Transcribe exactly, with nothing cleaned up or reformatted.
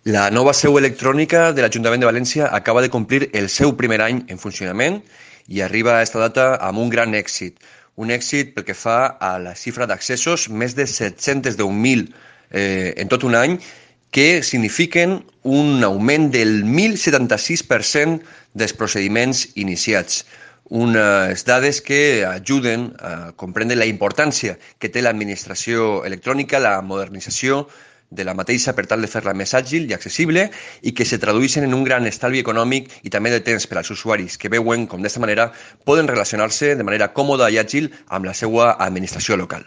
La nova seu electrònica de l'Ajuntament de València acaba de complir el seu primer any en funcionament i arriba a aquesta data amb un gran èxit. Un èxit pel que fa a la xifra d'accessos, més de set-cents deu mil eh, en tot un any, que signifiquen un augment del mil setanta-sis per cent dels procediments iniciats. Unes dades que ajuden a comprendre la importància que té l'administració electrònica, la modernització de la mateixa per tal de fer-la més àgil i accessible i que se tradueixen en un gran estalvi econòmic i també de temps per als usuaris que veuen com d'esta manera poden relacionar-se de manera còmoda i àgil amb la seva administració local.